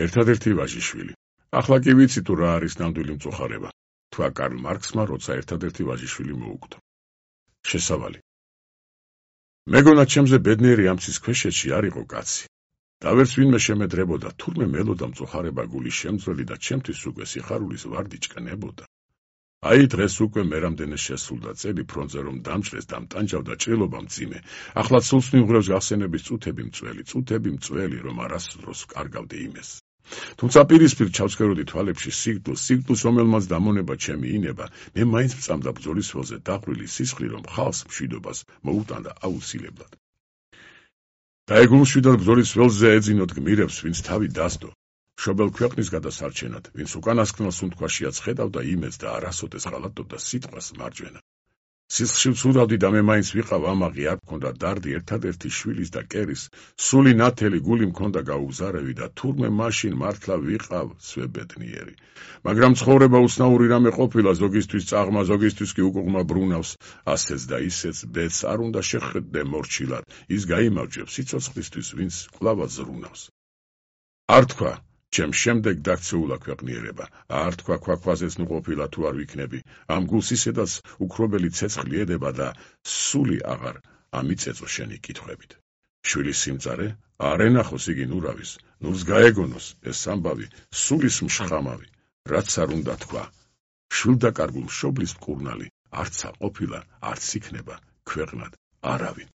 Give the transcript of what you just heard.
ერთადერთი ვაჟიშვილი. ახლა კი ვიცი თუ რა არის ნამდვილი მწუხარება, თქვა კარლ მარქსმა, როცა ერთადერთი ვაჟიშვილი მოუკვდა. შესავალი. მეგონა ჩემზე ბედნიერი ამცის ქვეშეთში არ იყო კაცი. და ვერც ვინმე შემედრებოდა, თურმე მელოდა მწუხარება გულის შემძველი და ჩემთვის უკვე სიხარულის ვარდი ჭკნებოდა. აი დღეს უკვე მე რამდენე შესულდა წელი ფრონტზე რომ დამჭრეს და მტანჯავდა ჭრილობა მძიმე. ახლა სულს მიუღრევს გახსენების წუთები მწველი, რომ არასდროს კარგავდი იმეს. თუმცა პირისპირ ჩავსქეროდი თვალებში სიკვდილს, რომელმაც დამონება ჩემი ინება, მე მაინც მწამდა ბრძოლის ველზე დაყრილი სისხლი, რომ ხალხს მშვიდობას მოუტანდა აუცილებლად. და ეგ ულშვიდად ბრძოლის ველზე ეძინოთ გმირებს, ვინც თავი დასდო. მშობელ ქვეყნის გადასარჩენად, ვინც უკანასკნელ სუნთქვაშიაც ხედავდა იმედს და არასოდეს ღალატობდა სიტყვას მარჯვენა. სისხლში ვცურავდი და მე მაინც ვიყავ ამაღი, არ მქონდა დარდი ერთადერთი შვილის და კერის, სული ნათელი გული მქონდა გაუგზარევი და თურმე მაშინ მართლა ვიყავ სვებედნიერი. მაგრამ ცხოვრება უცნაური რამე ყოფილა, ზოგისთვის წაღმა, ზოგისთვის კი უკუღმა ბრუნავს, ასეც და ისეც ბედს არ უნდა შეხედდე მორჩილად, ის გაიმარჯვებს სიცოცხლისთვის, ვინც კვლავ ზრუნავს. არ თქვა ჩემ შემდეგ დაქცეულა ქვეყნიერება, არ თქვა ქვაქვაზეც ნუ ყოფილა თუ არ ვიქნები, ამ გულს ისედაც უქრობელი ცეცხლი ედება და სული აღარ ამიწეწო შენი კითხვებით. შვილის სიმწარე, არ ენახოს იგი ნურავის, ნურს გაეგონოს ეს ამბავი, სულის მშხამავი, რაც არ უნდა თქვა. შვილდაკარგულ მშობლის მკურნალი, არცა ყოფილა, არც იქნება ქვეყნად არავინ.